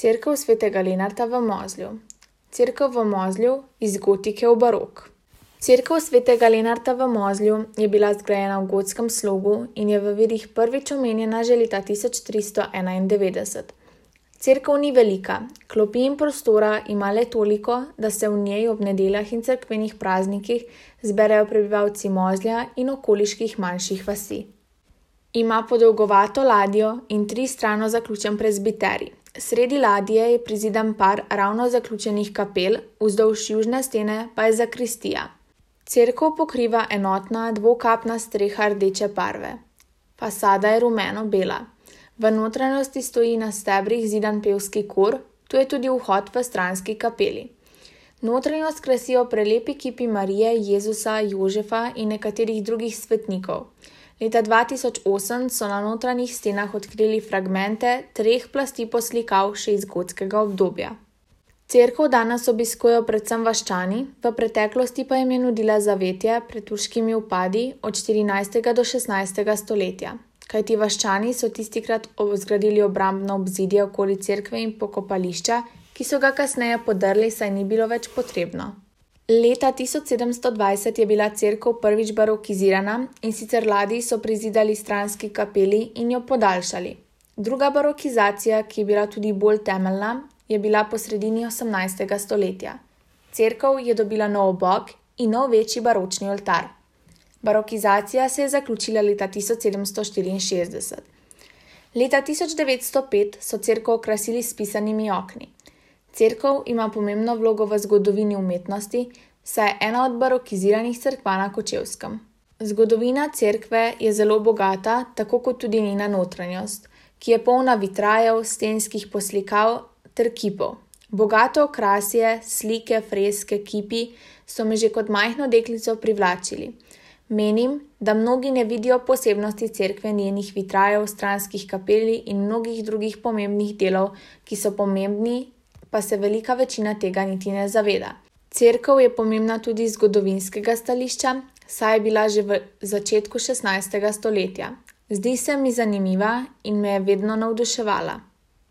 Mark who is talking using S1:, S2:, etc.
S1: Cerkev svetega Lenarta v Mozlju. Cerkev v Mozlju iz gotike v barok. Cerkev svetega Lenarta v Mozlju je bila zgrajena v gotskem slogu in je v virih prvič omenjena že leta 1391. Cerkev ni velika, klopi in prostora ima le toliko, da se v njej ob nedeljah in cerkvenih praznikih zberejo prebivalci Mozlja in okoliških manjših vasi. Ima podolgovato ladjo in 3 strano zaključen prezbiterij. Sredi ladje je prizidan par ravno zaključenih kapel, vzdolž južne stene pa je zakristija. Cerkev pokriva enotna dvokapna streha rdeče barve. Fasada je rumeno-bela. V notranjosti stoji na stebrih zidan pevski kor, tu je tudi vhod v stranski kapeli. Notranjost krasijo prelepi kipi Marije, Jezusa, Jožefa in nekaterih drugih svetnikov. Leta 2008 so na notranjih stenah odkrili fragmente 3 plasti poslikav še iz gotskega obdobja. Cerkev danes obiskujejo predvsem vaščani, v preteklosti pa jim je nudila zavetje pred turškimi vpadi od 14. do 16. stoletja. Kajti vaščani so tistikrat zgradili obrambno obzidje okoli cerkve in pokopališča, ki so ga kasneje podrli, saj ni bilo več potrebno. Leta 1720 je bila cerkev prvič barokizirana in sicer ladji so prizidali stranski kapeli in jo podaljšali. Druga barokizacija, ki je bila tudi bolj temeljna, je bila po sredini 18. stoletja. Cerkev je dobila nov bok in nov večji baročni oltar. Barokizacija se je zaključila leta 1764. Leta 1905 so cerkev okrasili s pisanimi okni. Cerkev ima pomembno vlogo v zgodovini umetnosti, saj je ena od barokiziranih cerkva na Kočevskem. Zgodovina cerkve je zelo bogata, tako kot tudi njena notranjost, ki je polna vitrajev, stenskih poslikav ter kipov. Bogate okrasje, slike, freske, kipi so me že kot majhno deklico privlačili. Menim, da mnogi ne vidijo posebnosti cerkve, njenih vitrajev, stranskih kapeli in mnogih drugih pomembnih delov, ki so pomembni, pa se velika večina tega niti ne zaveda. Cerkev je pomembna tudi iz zgodovinskega stališča, saj je bila že v začetku 16. stoletja. Zdi se mi zanimiva in me je vedno navduševala.